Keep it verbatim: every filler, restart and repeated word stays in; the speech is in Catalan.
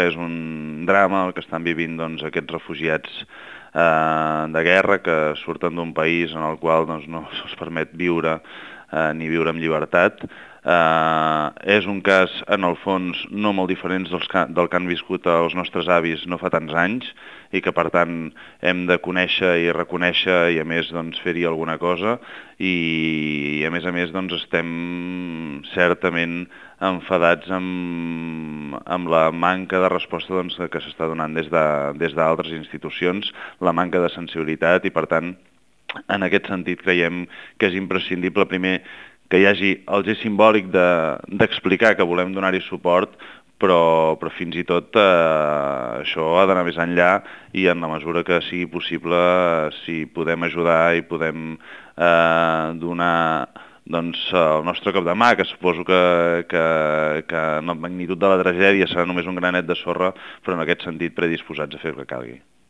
és un drama el que estan vivint doncs, aquests refugiats eh, de guerra que surten d'un país en el qual doncs, no se'ls permet viure eh, ni viure amb llibertat. Uh, és un cas, en el fons, no molt diferent dels que, del que han viscut els nostres avis no fa tants anys i que, per tant, hem de conèixer i reconèixer i, a més, doncs, fer-hi alguna cosa i, i, a més a més, doncs, estem certament enfadats amb, amb la manca de resposta doncs, que s'està donant des de, des d'altres institucions, la manca de sensibilitat i, per tant, en aquest sentit creiem que és imprescindible, primer, que hi hagi el gest simbòlic d'explicar de, que volem donar-hi suport, però, però fins i tot eh, això ha d'anar més enllà i en la mesura que sigui possible, si podem ajudar i podem eh, donar doncs, el nostre cop de mà, que suposo que, que, que en la magnitud de la tragèdia serà només un granet de sorra, però en aquest sentit predisposats a fer el que calgui.